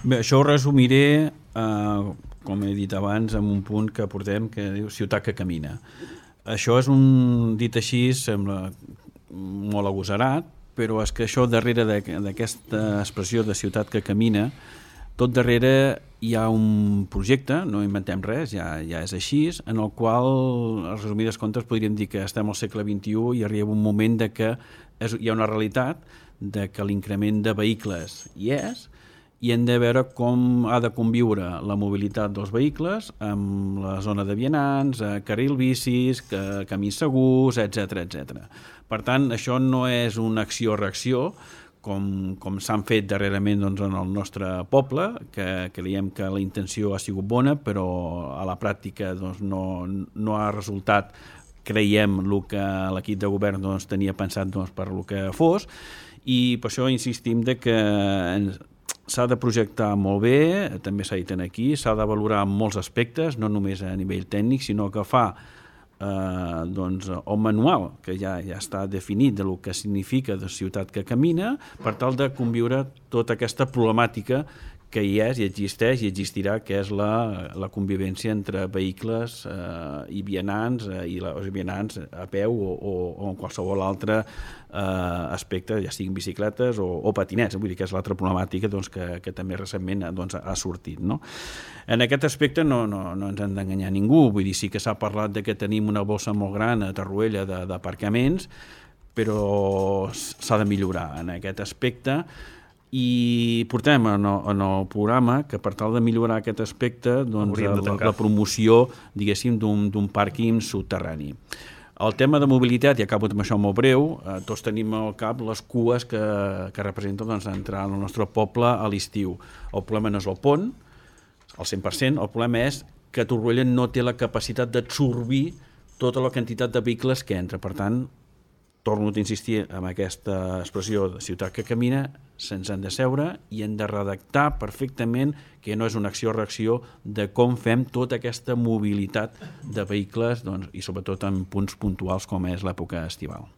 Bé, això ho resumiré, com he dit abans, en un punt que portem que diu ciutat que camina. Això és dit així, sembla molt agosarat, però és que això darrere d'aquesta expressió de ciutat que camina, tot darrere hi ha un projecte, no inventem res, ja és així, en el qual, a resumides comptes, podríem dir que estem al segle XXI i arriba un moment de que hi ha una realitat de que l'increment de vehicles hi és, i hem de veure com ha de conviure la mobilitat dels vehicles amb la zona de vianants, carril bicis, camins segurs, etc. Per tant, això no és una acció-reacció, com s'han fet darrerament en el nostre poble, que creiem que la intenció ha sigut bona, però a la pràctica no ha resultat, creiem, el que l'equip de govern tenia pensat per el que fos, i per això insistim que s'ha de projectar molt bé, també s'ha dit aquí, s'ha de valorar en molts aspectes, no només a nivell tècnic, sinó que fa un manual que ja està definit del que significa de ciutat que camina, per tal de conviure tota aquesta problemàtica que hi és i existeix i existirà, que és la convivència entre vehicles i vianants, i els vianants a peu o en qualsevol altre aspecte, ja siguin bicicletes o patinets, vull dir que és l'altra problemàtica que també recentment ha sortit. No? En aquest aspecte no ens hem d'enganyar ningú, vull dir, sí que s'ha parlat de que tenim una bossa molt gran a Torroella d'aparcaments, però s'ha de millorar en aquest aspecte, i portem en el programa que per tal de millorar aquest aspecte la promoció, diguéssim, d'un pàrquing subterrani. El tema de mobilitat, i acabo amb això molt breu, tots tenim al cap les cues que representen entrar al nostre poble a l'estiu. El problema no és el pont, al 100%, el problema és que Torroella no té la capacitat d'absorbir tota la quantitat de vehicles que entra. Per tant, torno a insistir en aquesta expressió de ciutat que camina, se'ns han de seure i hem de redactar perfectament que no és una acció-reacció de com fem tota aquesta mobilitat de vehicles i sobretot en punts puntuals com és l'època estival.